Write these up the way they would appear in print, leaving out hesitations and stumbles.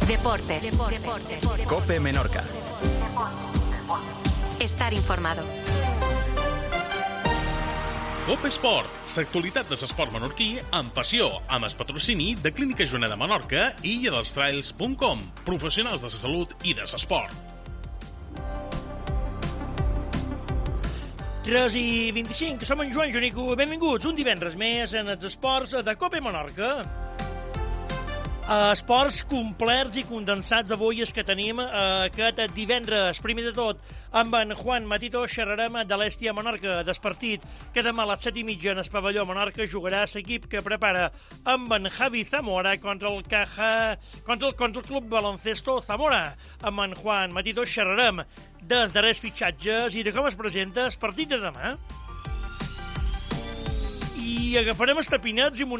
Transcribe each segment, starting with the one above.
Deportes. COPE Menorca. Estar informado. COPE Esport, l'actualitat de l'esport menorquí amb passió, amb el patrocini de Clínica Joana de Menorca i illadelstrails.com, professionals de la salut i de l'esport. 3:25, som en Joan Jonico, benvinguts un divendres més en els esports de COPE Menorca. Esports complets i condensats avui és que tenim aquest divendres. Primer de tot, amb en Juan Matito xerrarem de l'Hèstia Menorca, del partit que demà a les 7:30 en el pavelló Menorca jugarà l'equip que prepara amb en Javi Zamora contra el Club Baloncesto Zamora. Amb en Juan Matito xerrarem dels darrers fitxatges i de com es presenta el partit de demà. I agafarem estapinats i m'ho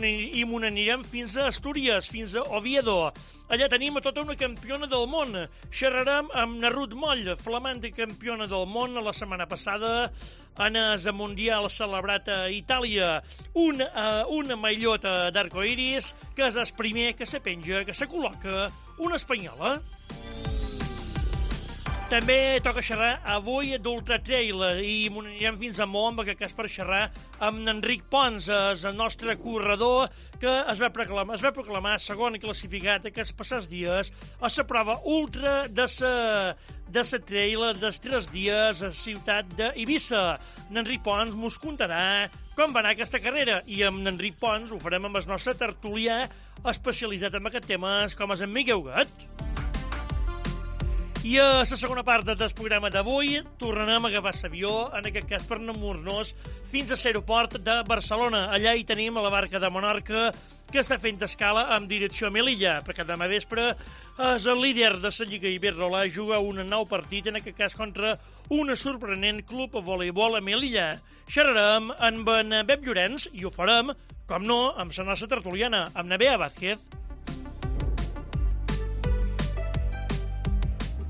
anirem fins a Astúries, fins a Oviedo. Allà tenim a tota una campiona del món. Xerrarem amb na Ruth Moll, flamant campiona del món la setmana passada en el Mundial celebrat a Itàlia. Una maillota d'arcoiris que és el primer que se penja, que se col·loca una espanyola. També toca xerrar avui d'Ultra Trail i m'ho anirem fins a Mont, que és per xerrar amb Enric Pons, el nostre corredor que es va proclamar segon classificat aquests passats dies a la prova ultra de la trail dels 3 dies a la ciutat d'Eivissa. Enric Pons mos contarà com va anar aquesta carrera i amb Enric Pons ho farem amb el nostre tertulià especialitzat en aquest tema com és en Miquel Huguet. I a la segona part del programa d'avui tornarem a agafar l'avió, en aquest cas per anar-nos fins a l'aeroport de Barcelona. Allà hi tenim la barca de Menorca que està fent escala amb direcció a Melilla, perquè demà vespre és el líder de la Lliga Iberdrola, juga un nou partit, en aquest cas contra un sorprenent club de voleibol a Melilla. Xerrarem amb en Bep Llorenç i ho farem, com no, amb la nostra tertuliana, amb na Bea Vázquez.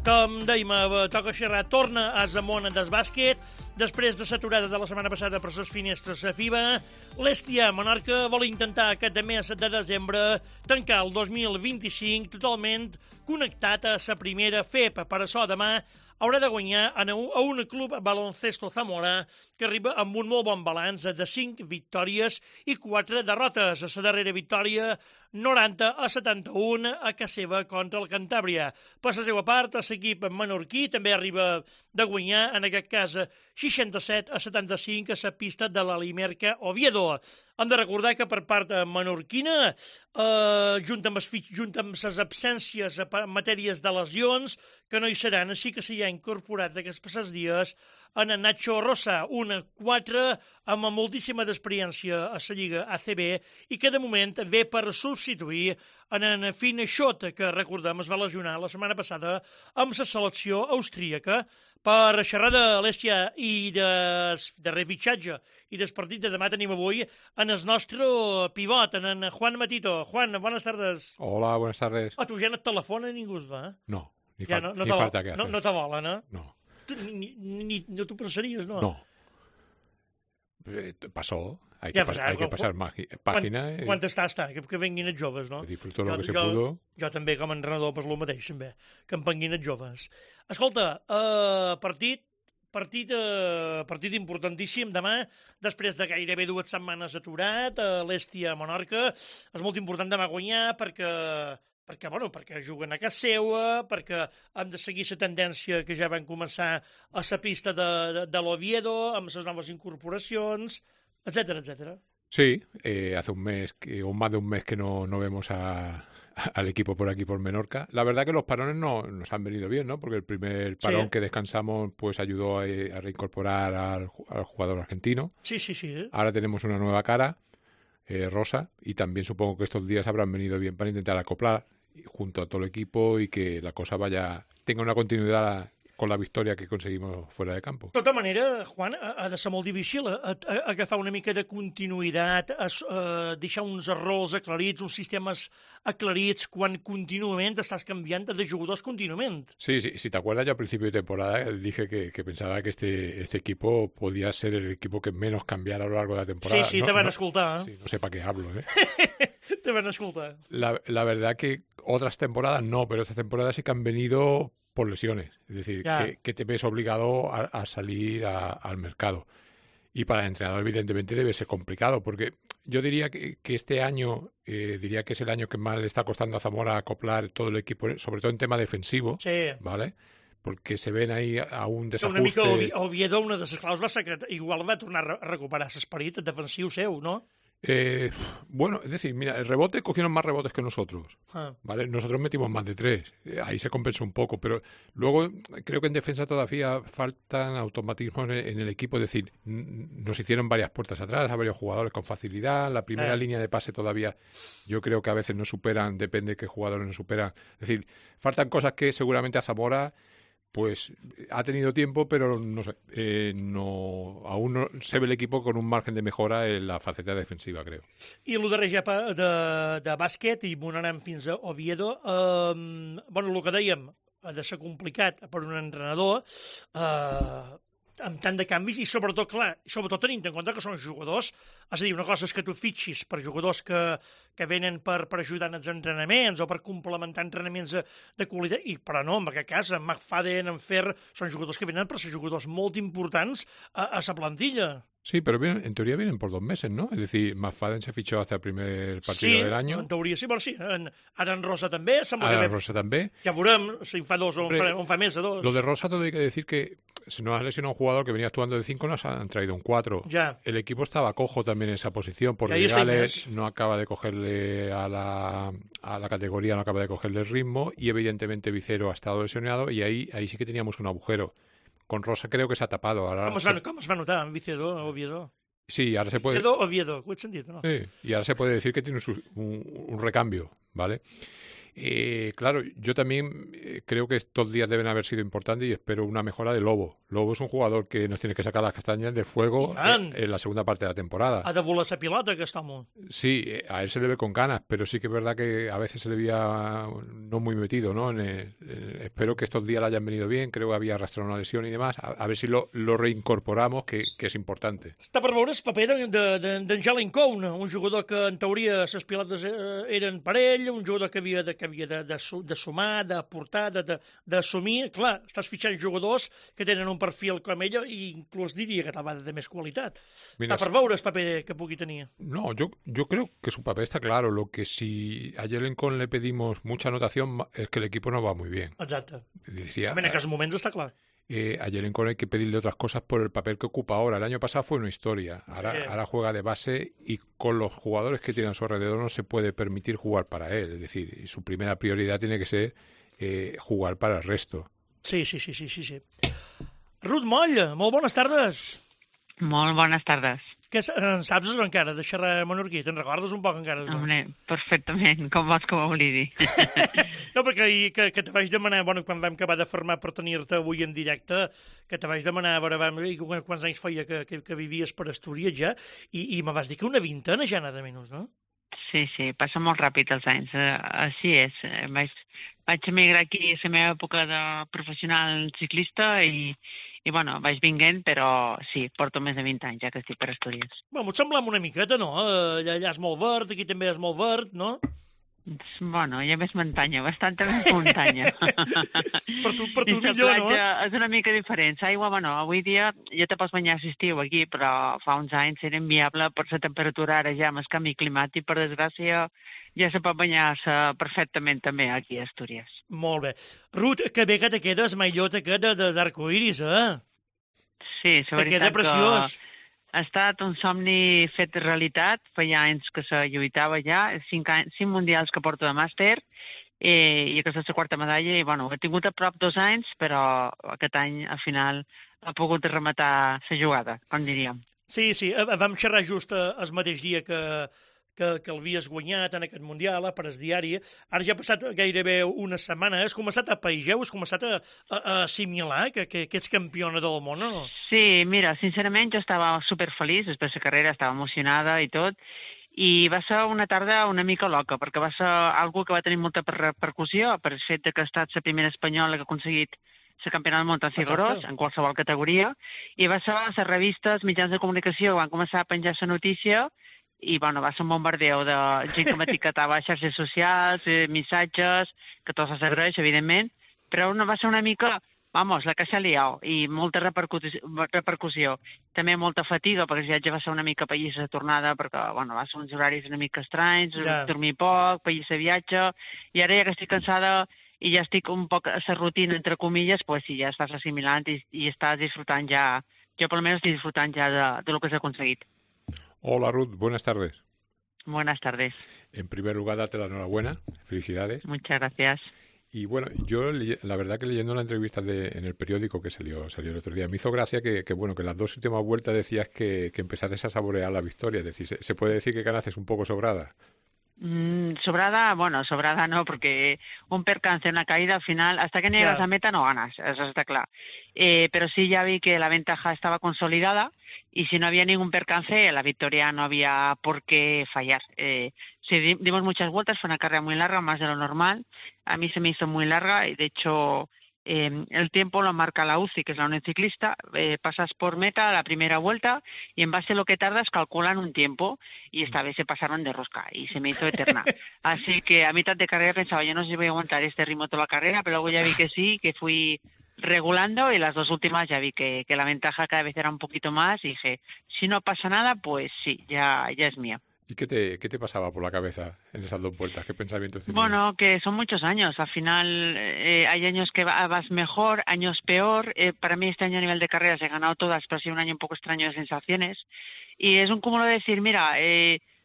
Com dèiem, toca xerrar, torna a Zamona del bàsquet, després de l'aturada de la setmana passada per les finestres a FIBA. L'Hèstia Menorca vol intentar aquest mes de desembre tancar el 2025 totalment connectat a la primera FEP. Per això demà haurà de guanyar a un club Baloncesto Zamora que arriba amb un molt bon balanç de 5 victòries i 4 derrotes. A la darrera victòria 90-71 a casa seva contra el Cantàbria. Per la seva part, l'equip menorquí també arriba de guanyar, en aquest cas 67-75 a la pista de l'Alimerca Oviedo. Hem de recordar que per part menorquina, junt amb les absències en matèries de lesions, que no hi seran, així que s'hi ha incorporat aquests passats dies en Nacho Rosa, un 4 amb moltíssima d'experiència a la Lliga ACB i que de moment ve per substituir en Finn Schott, que recordem es va lesionar la setmana passada amb la selecció austríaca. Per xerrar de l'Hèstia i de refitxatge i del partit de demà tenim avui en el nostre pivot, en Juan Matito. Juan, buenas tardes. Hola, buenas tardes. A tu ja no et telefona ningú es va? No, ni falta que hacer. No te volen, eh? No. No t'ho pensaries, no? No. Pasó. Hay que pasar página. Quan està, que venguin els joves, no? Disfruto lo que se pudo. Jo també, com a entrenador, per lo mateix, també, que em venguin els joves. Escolta, partit importantíssim demà, després de gairebé 2 setmanes aturat, l'Hèstia Menorca. És molt important demà guanyar perquè juguen a casa seva, perquè hem de seguir la tendència que ja van començar a la pista de l'Oviedo, amb les noves incorporacions, etcétera, etcétera. Sí, hace un mes, o más de un mes que no vemos al equipo por aquí, por Menorca. La verdad que los parones nos han venido bien, ¿no? Porque el primer parón que descansamos pues ayudó a reincorporar al jugador argentino. Sí. Ahora tenemos una nueva cara, Rosa, y también supongo que estos días habrán venido bien para intentar acoplar junto a todo el equipo y que la cosa tenga una continuidad con la victoria que conseguimos fuera de campo. De tota manera, Juan, ha de ser molt difícil agafar una mica de continuïtat, deixar uns errors aclarits, uns sistemes aclarits, quan contínuament estàs canviant de jugadors contínuament. Sí, si te acuerdas, yo al principio de temporada dije que pensaba que este equipo podía ser el equipo que menos cambiara a lo largo de la temporada. Sí, te van escoltar. Sí, no sé para qué hablo, ¿eh? Te van escoltar. La verdad que otras temporadas no, pero estas temporadas sí que han venido por lesiones. Es decir, que te ves obligado a salir al mercado. Y para el entrenador, evidentemente, debe ser complicado, porque yo diría que este año, diría que es el año que más le está costando a Zamora acoplar todo el equipo, sobre todo en tema defensivo, sí. ¿Vale? Porque se ven ahí a un desajuste... Una mica Oviedo, una de les claus va ser que igual va tornar a recuperar l'esperit defensiu seu, no? Bueno, es decir, mira, el rebote cogieron más rebotes que nosotros, ¿vale? Nosotros metimos más de 3, ahí se compensó un poco, pero luego creo que en defensa todavía faltan automatismos en el equipo, es decir, nos hicieron varias puertas atrás a varios jugadores con facilidad, la primera línea de pase todavía yo creo que a veces no superan, depende de qué jugadores no superan, es decir, faltan cosas que seguramente a Zamora pues ha tenido tiempo, pero no sé, aún no se ve el equipo con un margen de mejora en la faceta defensiva, creo. I el darrer ja de bàsquet, i m'ho anem fins a Oviedo, bueno, el que dèiem, ha de ser complicat per un entrenador, amb tant de canvis i sobretot, clar, sobretot tenint en compte que són jugadors, és a dir, una cosa és que tu fitxis per jugadors que venen per ajudar en els entrenaments o per complementar entrenaments de qualitat, però no, en aquest cas, en McFadden, en Fer, són jugadors que venen per ser jugadors molt importants a la plantilla. Sí, pero en teoría vienen por 2 meses, ¿no? Es decir, McFadden se fichó hasta el primer partido del año. Sí, en teoria sí, però sí. Ara en Rosa també. Ara en Rosa també. Ja veurem si en fa 2 o en fa més de 2. Lo de Rosa todo hay que decir que se nos ha lesionado un jugador que venía actuando de 5, nos han traído un 4. Ya. El equipo estaba cojo también en esa posición, porque Gales no acaba de cogerle a la categoría, no acaba de cogerle el ritmo, y evidentemente Vicero ha estado lesionado, y ahí sí que teníamos un agujero. Con Rosa creo que se ha tapado. Ahora com es va notar en Vicedor, Oviedo? Sí, ahora se puede... Oviedo, ho he sentit, no? Sí, y ahora se puede decir que tiene un recambio, ¿vale? Claro, yo también creo que estos días deben haber sido importantes y espero una mejora de Lobo. Lobo es un jugador que nos tiene que sacar las castañas del fuego en la segunda parte de la temporada. Ha de volar esa pilota, aquest home. Sí, a él se le ve con ganas, pero sí que es verdad que a veces se le veía no muy metido, ¿no? Espero que estos días le hayan venido bien, creo que había arrastrado una lesión y demás, a ver si lo reincorporamos, que és important. Està per veure el paper d'en Jalen Cohn, un jugador que en teoria les pilotes eren per ell, un jugador que havia de sumar, d'aportar, d'assumir. Clar, estàs fitxant jugadors que tenen un perfil com ell i inclús diria que tal de més qualitat. Mira, està per veure el paper que pugui tenir. No, yo creo que su papel está claro. Lo que si a Jalen Cohn le pedimos mucha anotación es que el equipo no va muy bien. Exacte. Decía, en aquests moments està clar. A Jalen Cohn hay que pedirle otras cosas por el papel que ocupa ahora. El año pasado fue una historia. Ahora juega de base y con los jugadores que tiene a su alrededor no se puede permitir jugar para él. Es decir, su primera prioridad tiene que ser jugar para el resto. Sí. Ruth Moll, molt bones tardes. Molt bones tardes. Què en saps encara de xerrar menorquí? Te'n recordes un poc encara? Home, perfectament, com vols que ho oblidi. No, perquè que te vaig demanar, bueno, quan vam acabar de formar per tenir-te avui en directe, que te vaig demanar, a veure, quants anys feia que vivies per Astúries ja, i me vas dir que una vintena ja nada menys, no? Sí, passa molt ràpid els anys, així és. Vaig emigrar aquí a la meva època de professional ciclista i bueno, vaig vinguent, però sí, porto més de 20 anys ja que estic per Astúries. Bueno, et sembla una miqueta, no? Allà és molt verd, aquí també és molt verd, no? Bueno, hi ha més muntanya, bastanta més muntanya. per tu millor, no? És una mica diferent. L'aigua, bueno, avui dia ja te pots banyar a l'estiu aquí, però fa uns anys era inviable per la temperatura ara ja amb el canvi climàtic, per desgràcia ja se pot banyar-se perfectament també aquí a Astúries. Molt bé. Ruth, que bé que te quedes maillot aquest d'arcoiris, Sí, la veritat que ha estat un somni fet realitat, feia anys que se lluitava ja, 5 mundials que porto de màster, i aquesta és la 4ª medalla, i bueno, he tingut a prop 2 anys, però aquest any, al final, ha pogut rematar la jugada, com diríem. Sí, vam xerrar just el mateix dia que que l'havies guanyat en aquest Mundial, a Pares Diari. Ara ja ha passat gairebé una setmana. Has començat a païjar, has començat a assimilar que ets campiona del món, o no? Sí, mira, sincerament jo estava superfeliç, després de la carrera estava emocionada i tot, i va ser una tarda una mica loca, perquè va ser algo que va tenir molta repercussió per el fet que ha estat la primera espanyola que ha aconseguit la campionat del món en ciclocross, en qualsevol categoria, i va ser les revistes, mitjans de comunicació, van començar a penjar la notícia, i bueno, va ser un bombardeo de gent que m'etiquetava a xarxes socials, missatges, que tot s'agraeix, evidentment, però va ser una mica, vamos, la que s'ha liat, i molta repercussió. També molta fatiga, perquè el viatge va ser una mica país de tornada, perquè bueno, va ser uns horaris una mica estranys, dormir poc, país de viatge, i ara ja que estic cansada i ja estic un poc a la rutina, entre comillas, pues sí, ja estàs assimilant i estàs disfrutant ja, yo por lo menos estoy disfrutando ya de lo que se ha conseguido. Hola Ruth, buenas tardes. Buenas tardes. En primer lugar, darte la enhorabuena, felicidades. Muchas gracias. Y bueno, yo la verdad que leyendo la entrevista en el periódico que salió el otro día, me hizo gracia que las dos últimas vueltas decías que empezaste a saborear la victoria, es decir, se puede decir que ganaste un poco sobrada. Sobrada no, porque un percance, una caída al final, hasta que no llegas a meta no ganas, eso está claro. Pero sí ya vi que la ventaja estaba consolidada y si no había ningún percance, la victoria no había por qué fallar. Sí, dimos muchas vueltas, fue una carrera muy larga, más de lo normal. A mí se me hizo muy larga y de hecho el tiempo lo marca la UCI, que es la Unión Ciclista. Pasas por meta la primera vuelta y en base a lo que tardas calculan un tiempo y esta vez se pasaron de rosca y se me hizo eterna. Así que a mitad de carrera pensaba, yo no sé si voy a aguantar este ritmo toda la carrera, pero luego ya vi que sí, que fui regulando y las dos últimas ya vi que la ventaja cada vez era un poquito más y dije, si no pasa nada, pues sí, ya es mía. ¿Y qué te pasaba por la cabeza en esas dos vueltas? ¿Qué pensamientos tenías? Bueno, que son muchos años. Al final hay años que vas mejor, años peor. Para mí este año a nivel de carreras he ganado todas, pero ha sido un año un poco extraño de sensaciones. Y es un cúmulo de decir, mira,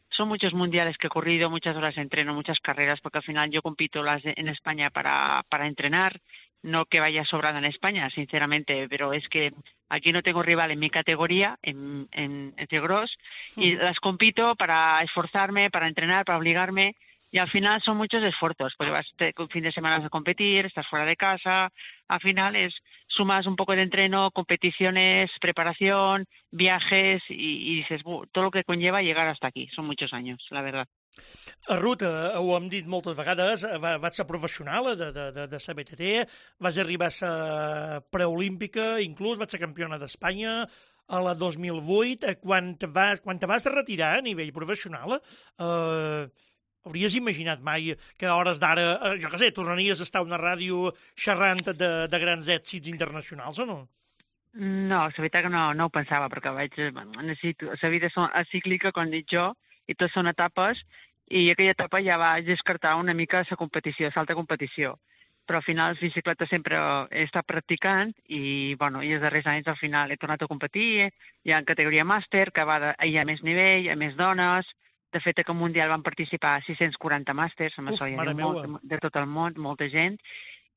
son muchos mundiales que he corrido, muchas horas de entreno, muchas carreras, porque al final yo compito en España para entrenar. No que vaya sobrada en España, sinceramente, pero es que aquí no tengo rival en mi categoría, en ciclocross, y las compito para esforzarme, para entrenar, para obligarme, y al final son muchos esfuerzos, porque vas un fin de semana a competir, estás fuera de casa, al final sumas un poco de entreno, competiciones, preparación, viajes, y dices, todo lo que conlleva llegar hasta aquí, son muchos años, la verdad. Ruth, ho hem dit moltes vegades, vaig ser professional de la BTT, vas arribar a ser preolímpica, inclús vaig ser campiona d'Espanya a la 2008. Quan te vas retirar a nivell professional, hauries imaginat mai que a hores d'ara, jo què sé, tornaries a estar a una ràdio xerrant de grans èxits internacionals o no? No, la veritat que no ho pensava, perquè necessito, la vida és cíclica, com dic jo, i tots són etapes, i aquella etapa ja vaig descartar una mica la competició, l'alta competició. Però al final, bicicleta sempre he estat practicant i els darrers anys al final he tornat a competir, ja en categoria màster, que hi ha més nivell, hi ha més dones. De fet, que al Mundial van participar 640 màsters, de tot el món, molta gent.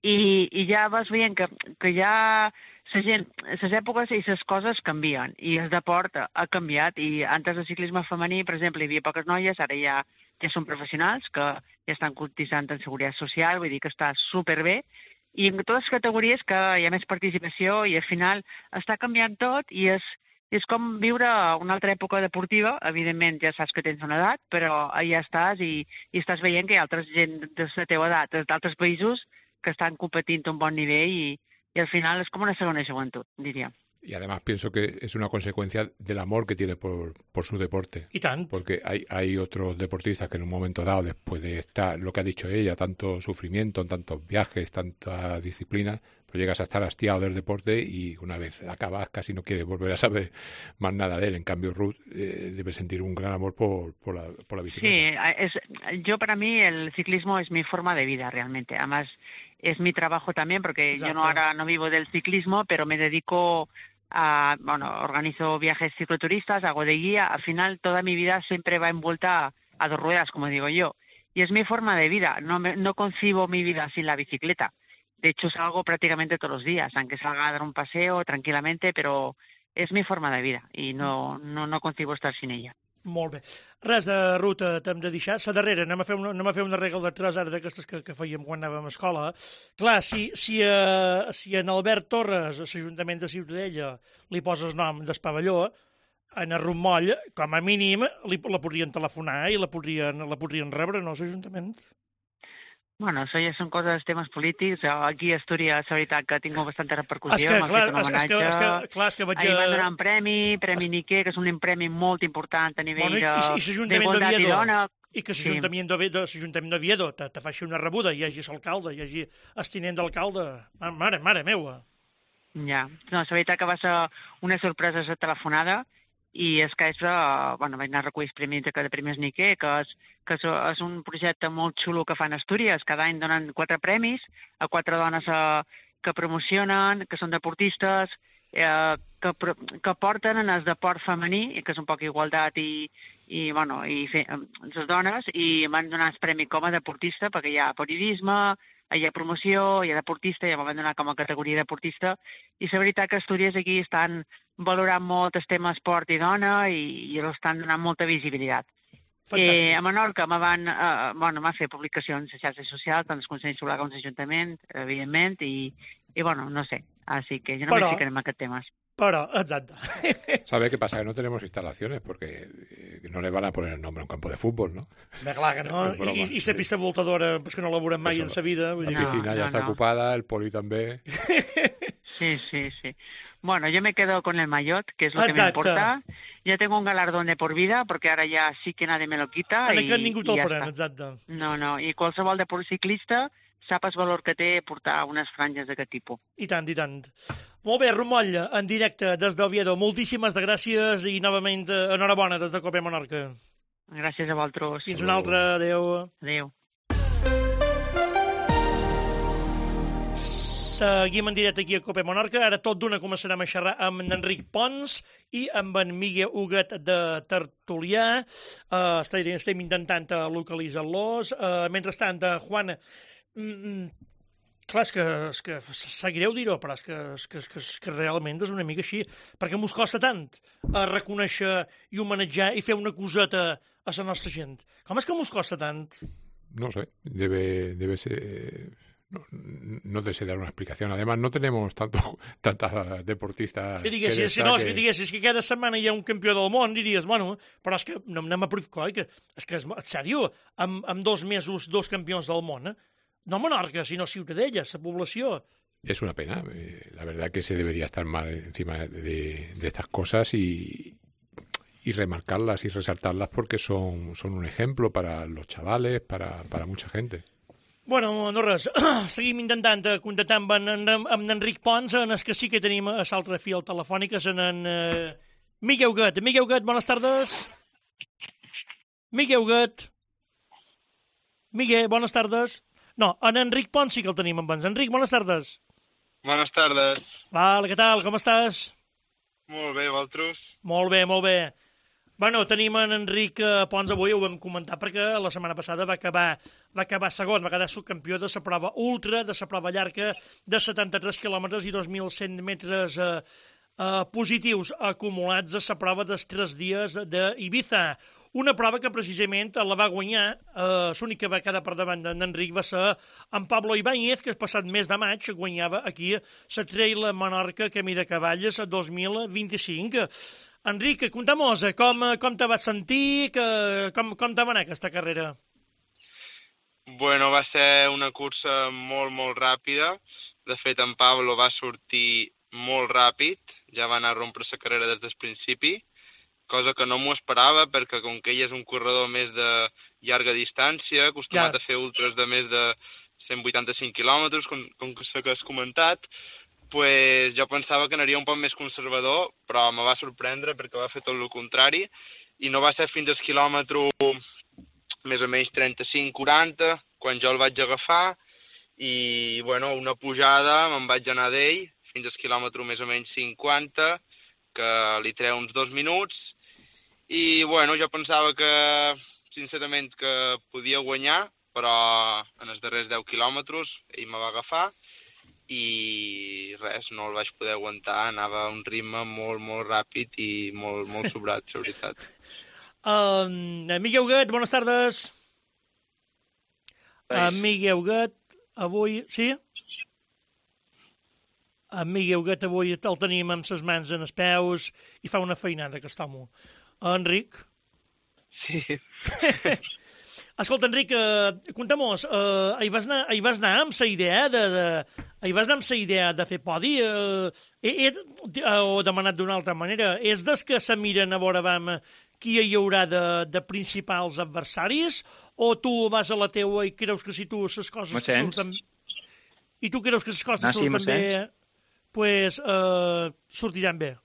I ja vas veient que ja les èpoques i les coses canvien i el deport ha canviat i antes del ciclisme femení, per exemple, hi havia poques noies, ara ja són professionals que ja estan cotitzant en seguretat social, vull dir que està superbé i en totes les categories que hi ha més participació i al final està canviant tot i és com viure una altra època deportiva, evidentment ja saps que tens una edat, però ja estàs i estàs veient que hi ha altra gent de la teva edat, d'altres països que están competiendo a un buen nivel y al final es como una segunda juventud, diría. Y además pienso que es una consecuencia del amor que tiene por su deporte. Y tanto. Porque hay otros deportistas que en un momento dado, después de estar, lo que ha dicho ella, tanto sufrimiento, tantos viajes, tanta disciplina, pues llegas a estar hastiado del deporte y una vez acabas casi no quieres volver a saber más nada de él. En cambio, Ruth debe sentir un gran amor por la bicicleta. Sí, yo para mí el ciclismo es mi forma de vida realmente. Además, es mi trabajo también porque Exacto. Yo ahora no vivo del ciclismo, pero me dedico organizo viajes cicloturistas, hago de guía. Al final toda mi vida siempre va envuelta a dos ruedas, como digo yo. Y es mi forma de vida. No concibo mi vida sin la bicicleta. De hecho, salgo prácticamente todos los días, aunque salga a dar un paseo tranquilamente, pero es mi forma de vida y no concibo estar sin ella. Molt bé. Res de ruta t'hem de deixar. La darrera, anem a fer una regla de 3 ara d'aquestes que fèiem quan anàvem a escola. Clar, si en Albert Torres, a l'Ajuntament de Ciutadella, li poses nom del pavelló, en el Rummoll, com a mínim, la podrien telefonar i la podrien rebre, no, l'Ajuntament? Bueno, això ja són coses, temes polítics. Aquí a Astúries, la veritat, que ha tingut bastanta repercussió. M'ha fet un homenatge. Ahir van donar un premi Niquer, que és un premi molt important a nivell d'igualtat i dona. I que l'Ajuntament d'Oviedo te faci una rebuda, hi hagi l'alcalde, hi hagi el tinent d'alcalde. Mare meua. Ja, no, la veritat que va ser una sorpresa la telefonada, i és que vaig anar a recollir els premis de Premis Niquer, que és un projecte molt xulo que fan a Astúries. Cada any donen 4 premis a 4 dones que promocionen, que són deportistes, que porten en el deport femení, que és un poc igualtat i les dones, i van donar el premi com a deportista, perquè hi ha periodisme, hi ha promoció, hi ha deportista, ja m'ho van donar com a categoria deportista, i la veritat que Astúries aquí estan valorant molt el tema esport i dona i estan donant molta visibilitat. A Menorca m'ha fet publicacions a xarxes socials, tant el Consell Escolar com l'Ajuntament, evidentment, i no sé, així que jo no me ficaré en aquests temes. Pero, exacto. ¿Sabe qué pasa? Que no tenemos instalaciones porque no le van a poner el nombre a un campo de fútbol, ¿no? Clar que no. I la pista voltadora, pues que no la veurem mai en sa vida. La piscina ya está ocupada, el poli també. Sí. Bueno, yo me quedo con el maillot, que es lo que me importa. Ya tengo un galardón de por vida, porque ahora ya sí que nadie me lo quita. En aquest ningú te'l pren, exacte. No, i qualsevol deport ciclista sap el valor que té portar unes franges d'aquest tipus. I tant. Molt bé, Rumoll, en directe des d'Oviedo. Moltíssimes gràcies i novament enhorabona des de Cope Menorca. Gràcies a vosaltres. Fins una altra. Adéu. Adéu. Seguim en directe aquí a Cope Menorca. Ara tot d'una començarem a xerrar amb en Enric Pons i amb en Miguel Huguet de Tertulià. Estem intentant localitzar-los. Mentrestant, Juan... Clar, és que sap greu dir-ho, però és que realment és una mica així, perquè mos costa tant reconèixer i homenatjar i fer una coseta a la nostra gent. Com és que mos costa tant? No sé, debe ser... No te sé dar una explicación. Además, no tenemos tantas deportistas... Que diguessis que cada setmana hi ha un campió del món, diries, bueno, però és que no anem a predicar, és que, en sèrio, amb 2 mesos, 2 campions del món, no Menorca, sino Ciutadella, esa población. Es una pena. La verdad que se debería estar más encima de estas cosas y remarcarlas y resaltarlas porque son un ejemplo para los chavales, para mucha gente. Bueno, no res. Seguim intentant contactar amb en Enric Pons, en el que sí que tenim a l'altre fil telefònic, és en Miguel Huguet. Miguel Huguet, bones tardes. Miguel Huguet. Miguel, bones tardes. No, en Enric Pons sí que el tenim amb ens. Enric, bones tardes. Bones tardes. Vale, què tal? Com estàs? Molt bé, vosaltres? Molt bé. Bueno, tenim en Enric Pons avui, ho vam comentar, perquè la setmana passada va acabar segon, va quedar subcampió de la prova ultra, de la prova llarga, de 73 quilòmetres i 2.100 metres positius acumulats a la prova dels 3 dies d'Ibiza. Una prova que precisament la va guanyar, l'únic que va quedar per davant d'Enric va ser en Pablo Ibáñez, que el passat mes de maig guanyava aquí la Trail Menorca Camí de Cavalles 2025. Enric, conta'm-nos com te vas sentir, com te va anar aquesta carrera? Bueno, va ser una cursa molt ràpida. De fet, en Pablo va sortir molt ràpid, ja va anar a rompre la carrera des del principi, cosa que no m'ho esperava, perquè com que ell és un corredor més de llarga distància, acostumat a fer ultras de més de 185 quilòmetres, com que has comentat, pues jo pensava que anaria un poc més conservador, però me va sorprendre perquè va fer tot el contrari, i no va ser fins al quilòmetre més o menys 35-40, quan jo el vaig agafar, i bueno, una pujada me'n vaig anar d'ell, fins al quilòmetre més o menys 50, que li treu uns 2 minuts, i bueno, jo pensava que, sincerament, que podia guanyar, però en els darrers 10 quilòmetres ell me va agafar i res, no el vaig poder aguantar, anava a un ritme molt ràpid i molt sobrat, la veritat. Miguel Huguet, bones tardes. Miguel Huguet, avui... Sí? Miguel Huguet avui el tenim amb ses mans en els peus i fa una feinada, aquest home. Enric? Sí. Escolta, Enric, conta-mos, hi vas anar amb la idea de fer podi? O demanat d'una altra manera? És des que se miren a veure qui hi haurà de principals adversaris? O tu vas a la teua i creus que si tu les coses surten... I tu creus que les coses surten bé, pues sortiran bé?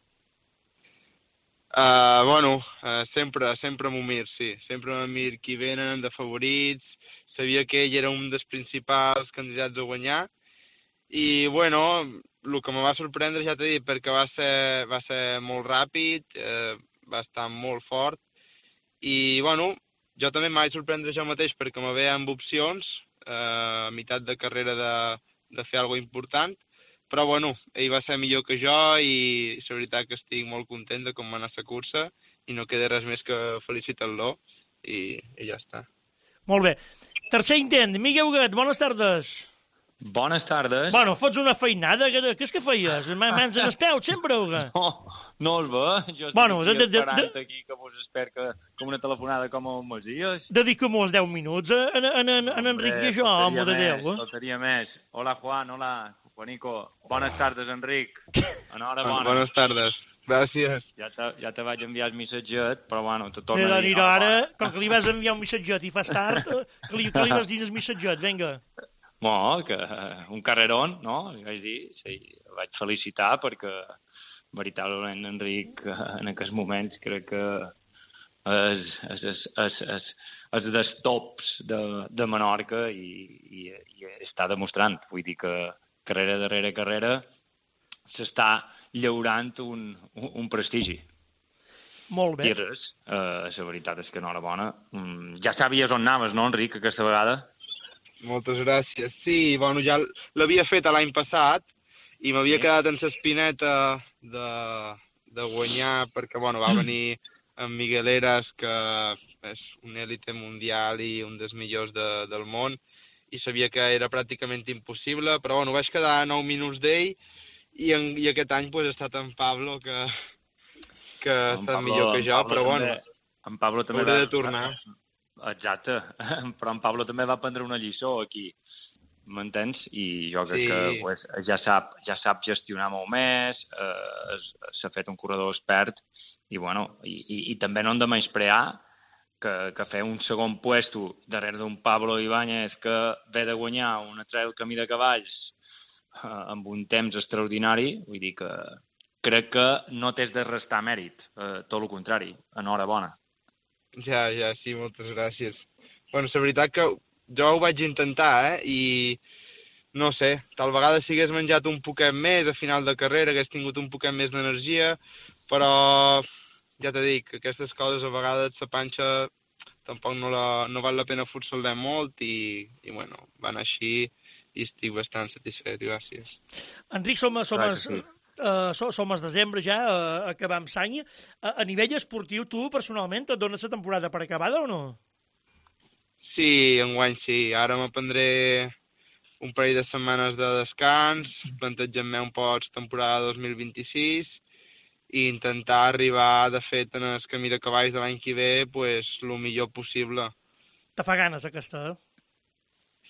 Sempre m'ho mir, sí. Sempre m'ho mir qui venen de favorits. Sabia que ell era un dels principals candidats a guanyar. I, el que me va sorprendre, ja t'he dit, perquè va ser molt ràpid, va estar molt fort. I, jo també em vaig sorprendre jo mateix perquè me veia amb opcions a meitat de carrera de fer alguna important. Però, ell va ser millor que jo i la veritat que estic molt content de com va anar la cursa i no queda res més que felicitar-lo i ja està. Molt bé. Tercer intent. Miguel Huguet, bones tardes. Bones tardes. Fots una feinada. Què és que feies? Mans en els peus, sempre, Huguet? No el ve. Jo estic esperant aquí que vos espero que una telefonada com el Masies. Dedica-m'ho 10 minuts en Enric i jo, home de Déu. Faltaria més. Hola, Juan, hola. Juanico, bones tardes, Enric. Enhorabona. Bones tardes. Gràcies. Ja te vaig enviar el missatget, però te torno a dir. Ara, com que li vas enviar un missatget i fas tard, que li vas dir el missatget, vinga. Que un carrerón, no? Li vaig dir, sí, el vaig felicitar perquè, veritablement, Enric, en aquests moments, crec que és dels tops de Menorca i està demostrant. Vull dir que carrera darrere carrera s'està llaurant un prestigi. Molt bé. I res, la veritat és que enhorabona. Ja sabies on anaves, no, Enric, aquesta vegada? Moltes gràcies. Sí, ja l'havia fet l'any passat i m'havia quedat en l'espineta de guanyar perquè, va venir amb Miguel Eras, que és un élite mundial i un dels millors del món, i sabia que era pràcticament impossible, però vaig quedar a 9 minuts d'ell i aquest any ha estat en Pablo, que ha estat millor que jo, però en Pablo també hauré de tornar. Exacte, però en Pablo també va prendre una lliçó aquí, m'entens? I jo crec que ja sap gestionar molt més, s'ha fet un corredor expert, i també no hem de menysprear que fer un segon puesto darrere d'un Pablo Ibáñez que ve de guanyar una trail camí de cavalls amb un temps extraordinari, vull dir que crec que no t'has de restar mèrit, tot el contrari, enhorabona. Ja, sí, moltes gràcies. La veritat que jo ho vaig intentar, i no sé, tal vegada si hagués menjat un poquet més a final de carrera, hagués tingut un poquet més d'energia, però ja t'he dit que aquestes coses a vegades la panxa tampoc no val la pena forçar-la molt i va anar així i estic bastant satisfet, gràcies. Enric, som a desembre ja, acabam l'any. A nivell esportiu, tu personalment et dones la temporada per acabada o no? Sí, enguany sí. Ara m'aprendré un parell de setmanes de descans, plantejant-me un poc temporada 2026 i intentar arribar, de fet, en el camí de cavalls de l'any que ve, el millor possible. Te fa ganes, aquesta,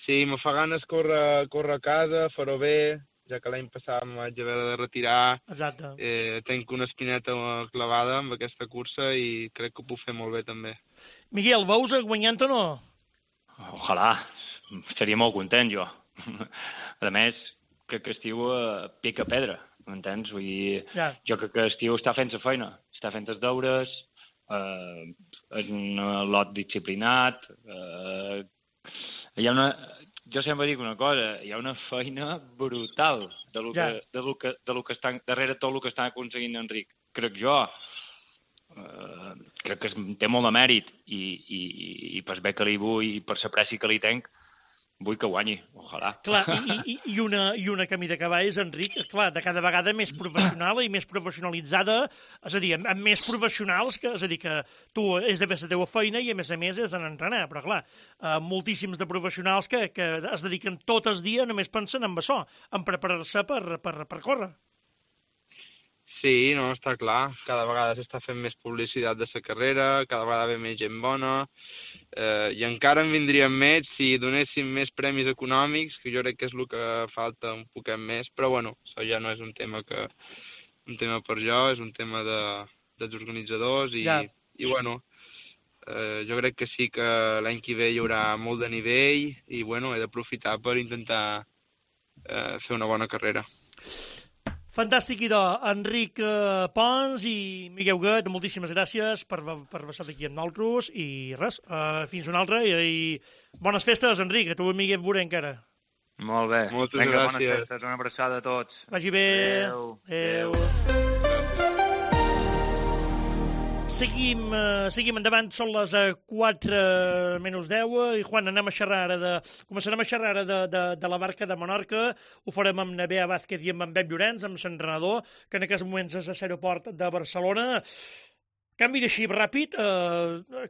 Sí, me fa ganes córrer a casa, fer-ho bé, ja que l'any passat em vaig haver de retirar. Exacte. Tenc una espineta clavada amb aquesta cursa i crec que ho puc fer molt bé, també. Miguel, veus guanyant o no? Ojalà. Estaria molt content, jo. A més, crec que estiu pica pedra. M'entens? Vull dir, jo crec que estiu està fent la feina, està fent els deures, és un lot disciplinat, jo sempre dic una cosa, hi ha una feina brutal de lo que està darrere tot el que està aconseguint Enric. Crec jo, crec que té molt de mèrit i per bé que li vull i per l'apreci que li tenc, vull que guanyi, ojalà. Clar, i una camí d'acabar és, Enric, clar, de cada vegada més professional i més professionalitzada, és a dir, amb més professionals, és a dir, que tu és de fer la teva feina i, a més, has d'anar a entrenar, però, clar, moltíssims de professionals que es dediquen tot el dia, només pensen en això, en preparar-se per córrer. Sí, no, està clar. Cada vegada s'està fent més publicitat de la carrera, cada vegada ve més gent bona, i encara en vindrien més si donéssim més premis econòmics, que jo crec que és el que falta un poquet més, però bueno, això ja no és un tema per jo, és un tema dels organitzadors i bueno, jo crec que sí que l'any que ve hi haurà molt de nivell i bueno, he d'aprofitar per intentar fer una bona carrera. Fantàstic, idò. Enric Pons i Miquel Huguet, moltíssimes gràcies per estar aquí amb nosaltres i res, fins una altra i bones festes, Enric, a tu i Miquel veurem encara. Molt bé. Moltes gràcies. Bones festes, una abraçada a tots. Vagi bé. Adéu. Seguim endavant, són les 4:10 i Juan, començarem a xerrar ara de la barca de Menorca, ho farem amb Nebea Vázquez i amb en Pep Llorenç, amb l'entrenador, que en aquests moments és a l'aeroport de Barcelona. Canvi de xip ràpid,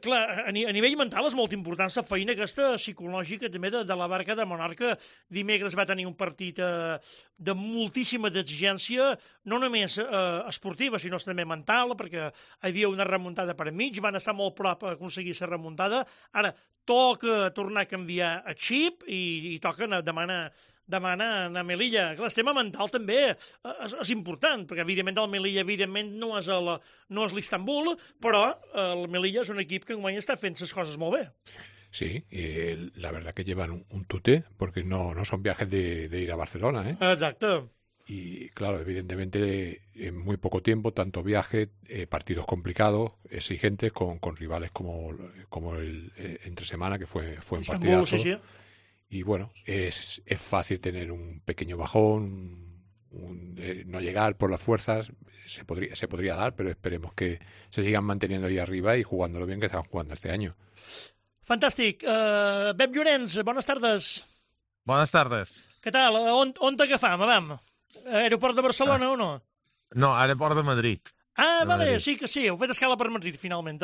clar, a nivell mental és molt important la feina aquesta psicològica també de la barca de Menorca. Dimecres va tenir un partit de moltíssima exigència, no només esportiva, sinó també mental, perquè hi havia una remuntada per enmig, van estar molt prop a aconseguir la remuntada. Ara toca tornar a canviar el xip i toca demanar a Melilla. Clar, el tema mental també és important, perquè evidentment el Melilla evidentment no és l'Istanbul, però el Melilla és un equip que enguany està fent les coses molt bé. Sí, y la verdad que llevan un tute, porque no son viajes de ir a Barcelona, ¿eh? Exacto. Y claro, evidentemente en muy poco tiempo, tanto viaje, partidos complicados, exigentes, con rivales como el entre semana, que fue un partidazo. Sí. Y bueno, es fácil tener un pequeño bajón, no llegar por las fuerzas, se podría dar, pero esperemos que se sigan manteniendo ahí arriba y jugándolo bien que estaban jugando este año. Fantàstic. Pep Llorenç, bones tardes. Bones tardes. Què tal? On t'agafam, vam? Aeroport de Barcelona o no? No, aeroport de Madrid. Ah, vale, Madrid. Sí que sí, heu fet escala per Madrid finalment,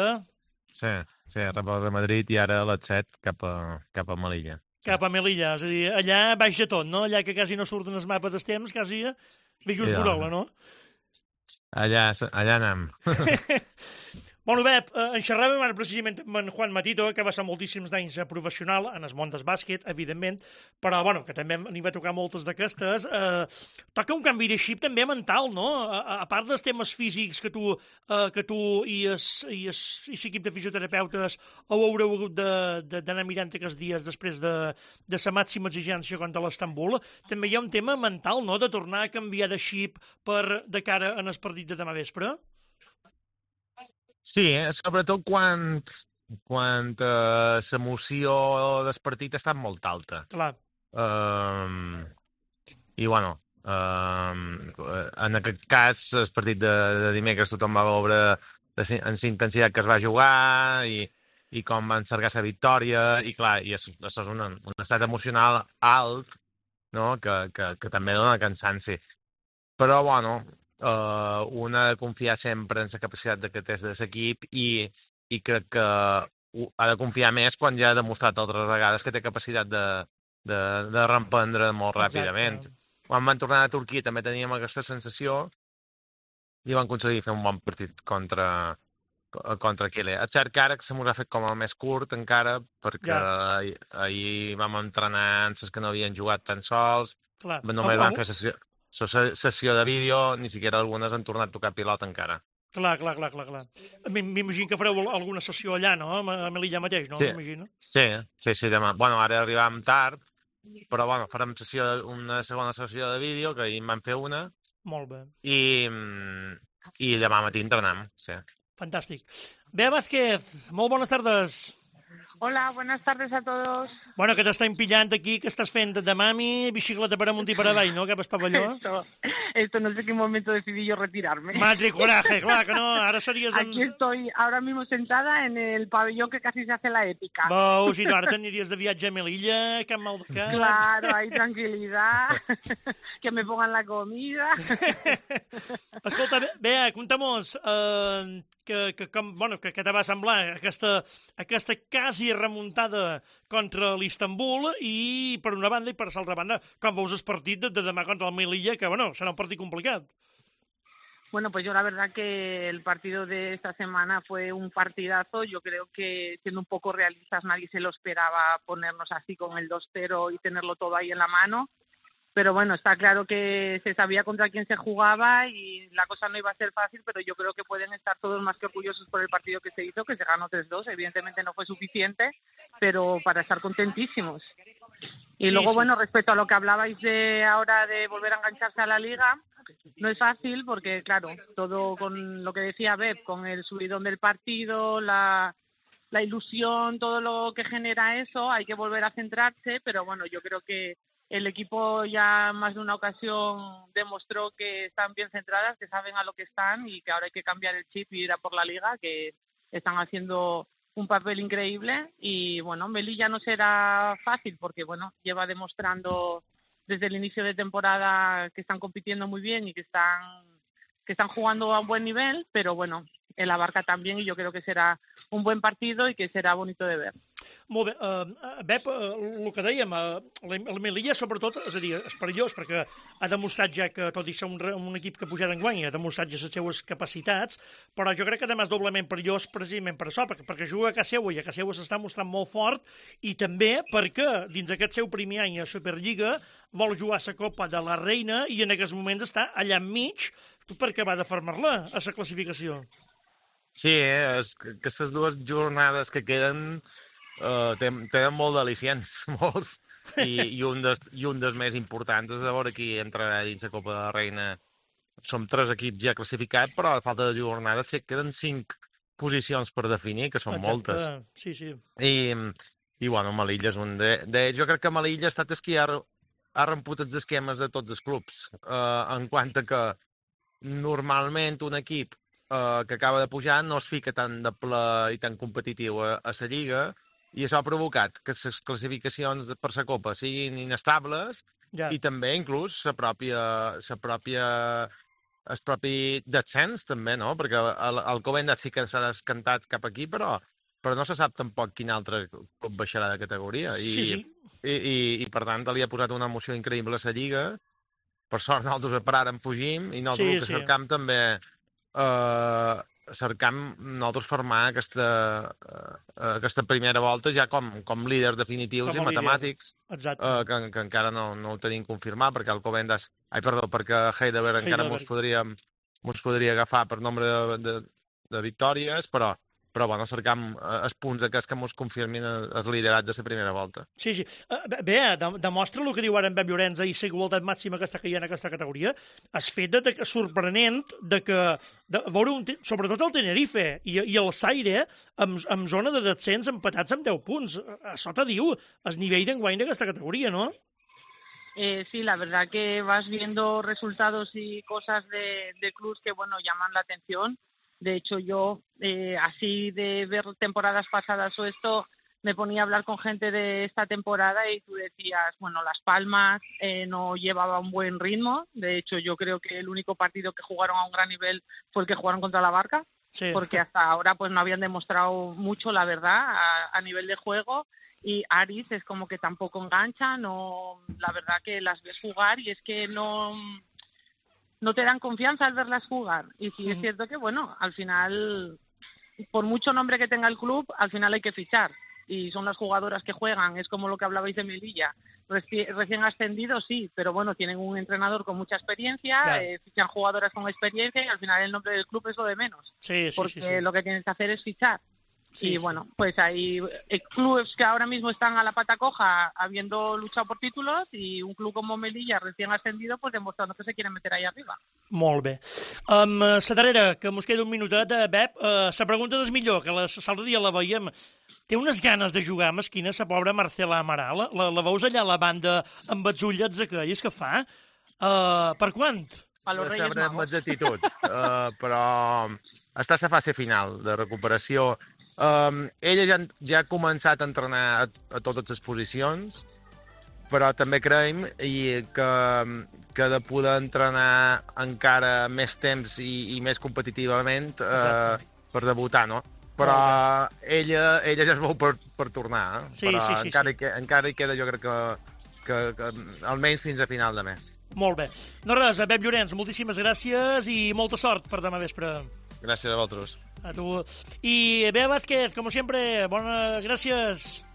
Sí, aeroport de Madrid i ara a les 7 cap a Melilla. Cap a Melilla, és a dir, allà baix de tot, no? Allà que quasi no surten els mapes dels temps, quasi veig just Borola, no? Allà anem. Bueno, Pep, en xerràvem ara precisament amb en Juan Matito, que va ser moltíssims d'anys professional en el món del bàsquet, evidentment, però bueno, que també n'hi va tocar moltes d'aquestes. Toca un canvi de xip també mental, no? A part dels temes físics que tu i l'equip de fisioterapeutes heu hagut d'anar mirant aquests dies després de la màxima exigència contra l'Istanbul, també hi ha un tema mental, no?, de tornar a canviar de xip de cara en el partit de demà vespre. Sí, sobretot quan l'emoció del partit està molt alta. Clar. I, bueno, en aquest cas, el partit de dimecres tothom va veure en la intensitat que es va jugar i com va encergar la victòria, i clar, i això és un estat emocional alt, no?, que també dona cansanci. Però, bueno, un ha de confiar sempre en la capacitat que té de l'equip i crec que ha de confiar més quan ja ha demostrat altres vegades que té capacitat de reemprendre molt ràpidament. Quan van tornar a Turquia també teníem aquesta sensació i van aconseguir fer un bon partit contra Chile. És cert que ara se m'ho ha fet com a més curt encara, perquè ahir vam entrenar amb els que no havien jugat tan sols, només van fer sessió de vídeo, ni siquiera algunes han tornat a tocar pilota encara. Clar. M'imagino que fareu alguna sessió allà, no?, a Melilla mateix, no? Sí, demà. Bueno, ara arribàvem tard, però bueno, farem una segona sessió de vídeo, que ahir en vam fer una. Molt bé. I demà matí entrenem, sí. Fantàstic. Bea Vázquez, molt bones tardes. Hola, buenas tardes a todos. Bueno, que t'estem pillant aquí, que estàs fent de mami, bicicleta per amunt i per avall, no? Cap al pavelló. Esto no sé qué momento decidí yo retirarme. Madre coraje, clar que no, ara series... Aquí estoy ahora mismo sentada en el pabellón que casi se hace la épica. Veus, i tu ara t'aniries de viatge a Melilla, cap mal de cap. Claro, hay tranquilidad, que me pongan la comida. Escolta, Bea, conta'm-nos què te va semblar aquesta quasi remuntada contra l'Istanbul i per una banda i per l'altra banda, com veus el partit de demà contra el Melilla, que bueno, serà un partit complicat. Bueno, pues yo la verdad que el partido de esta semana fue un partidazo. Yo creo que, siendo un poco realistas, nadie se lo esperaba ponernos así con el 2-0 y tenerlo todo ahí en la mano. Pero bueno, está claro que se sabía contra quién se jugaba y la cosa no iba a ser fácil, pero yo creo que pueden estar todos más que orgullosos por el partido que se hizo, que se ganó 3-2. Evidentemente no fue suficiente, pero para estar contentísimos. Y luego, bueno, respecto a lo que hablabais de ahora de volver a engancharse a la Liga, no es fácil porque, claro, todo con lo que decía Beb, con el subidón del partido, la ilusión, todo lo que genera eso, hay que volver a centrarse, pero bueno, yo creo que el equipo ya más de una ocasión demostró que están bien centradas, que saben a lo que están y que ahora hay que cambiar el chip y ir a por la Liga, que están haciendo un papel increíble. Y bueno, Melilla no será fácil porque bueno, lleva demostrando desde el inicio de temporada que están compitiendo muy bien y que están jugando a un buen nivel, pero bueno, el Abarca también y yo creo que será un buen partido i que serà bonito de ver. Molt bé. Bep, el que dèiem, el Melilla sobretot, és a dir, és perillós perquè ha demostrat ja que, tot i ser un equip que ha pujat enguany, ha demostrat ja les seues capacitats, però jo crec que també és doblement perillós precisament per això, perquè juga a casa seva i a casa seva s'està mostrant molt fort i també perquè dins aquest seu primer any a Superliga vol jugar la Copa de la Reina i en aquests moments està allà enmig perquè va de fermar-la a la classificació. Sí, aquestes dues jornades que queden tenen molt d'al·licients, molts, i un dels més importants és a veure qui entrarà dins la Copa de la Reina. Som 3 equips ja classificats, però a falta de jornades queden 5 posicions per definir, que són moltes. Sí, sí. I bueno, Melilla és un d'ells. Jo crec que Melilla ha estat el que ha romput els esquemes de tots els clubs, en quant a que normalment un equip que acaba de pujar no es fica tan de ple i tan competitiu a la Lliga i això ha provocat que les classificacions per la Copa siguin inestables i també inclús el propi descens també, no? Perquè el Covendas sí que s'ha descantat cap aquí, però no se sap tampoc quin altre club baixarà de categoria i per tant li ha posat una emoció increïble a la Lliga. Per sort nosaltres per ara en fugim i nosaltres que cercam també nosaltres formar aquesta primera volta ja com líders definitius i matemàtics, que encara no ho tenim confirmat, perquè el Covendas, perquè Heidelberg encara mos podria agafar per nombre de victòries, però bueno, cercam els punts aquests que mos confirmin els liderats de la primera volta. Sí. Bé, demostra el que diu ara en Bep Llorenza i la igualtat màxima que està caient en aquesta categoria. Has fet sorprenent de que veure sobretot el Tenerife i el Zaire en zona de descens empatats amb 10 punts. Això te diu el nivell d'enguany d'aquesta categoria, no? Sí, la verdad que vas viendo resultados y cosas de clubs que, bueno, llaman la atención. De hecho, yo, así de ver temporadas pasadas o esto, me ponía a hablar con gente de esta temporada y tú decías, bueno, Las Palmas no llevaba un buen ritmo. De hecho, yo creo que el único partido que jugaron a un gran nivel fue el que jugaron contra la Barca, porque hasta ahora pues no habían demostrado mucho, la verdad, a nivel de juego. Y Aris es como que tampoco engancha, no, la verdad que las ves jugar y es que no te dan confianza al verlas jugar. Y sí es cierto que, bueno, al final, por mucho nombre que tenga el club, al final hay que fichar. Y son las jugadoras que juegan, es como lo que hablabais de Melilla. Recién ascendidos, sí, pero bueno, tienen un entrenador con mucha experiencia, fichan jugadoras con experiencia y al final el nombre del club es lo de menos. Porque lo que tienes que hacer es fichar. Bueno, pues hay clubes que ahora mismo están a la pata coja habiendo luchado por títulos y un club como Melilla recién ascendido pues demostrando que se quieren meter ahí arriba. Molt bé. La darrera, que mos queda un minutet, Bep, la pregunta és millor, que l'altre dia la veiem. té unes ganes de jugar mesquina, la pobra Marcela Amaral. La veus allà a la banda amb els ullets aquells que fa? Per quant? A los Reyes Magos. Amb exactitud, però està a la fase final de recuperació. Ella ja ha començat a entrenar a totes les posicions, però també creiem que de poder entrenar encara més temps i més competitivament per debutar, no? Però ella ja es veu per tornar, Sí, però sí. encara hi queda, jo crec que almenys fins a final de mes. Molt bé. No res, Pep Llorenç, moltíssimes gràcies i molta sort per demà vespre. Gràcies a vosaltres. A tu. Y Bea Vázquez, como siempre, gracias.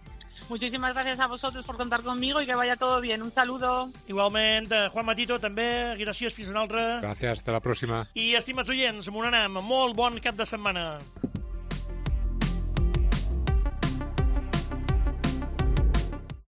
Muchísimas gracias a vosotros por contar conmigo y que vaya todo bien. Un saludo. Igualment, Juan Matito, també, gràcies, fins una altra. Gràcies, hasta la pròxima. I, estimats oients, Monanam, molt bon cap de setmana.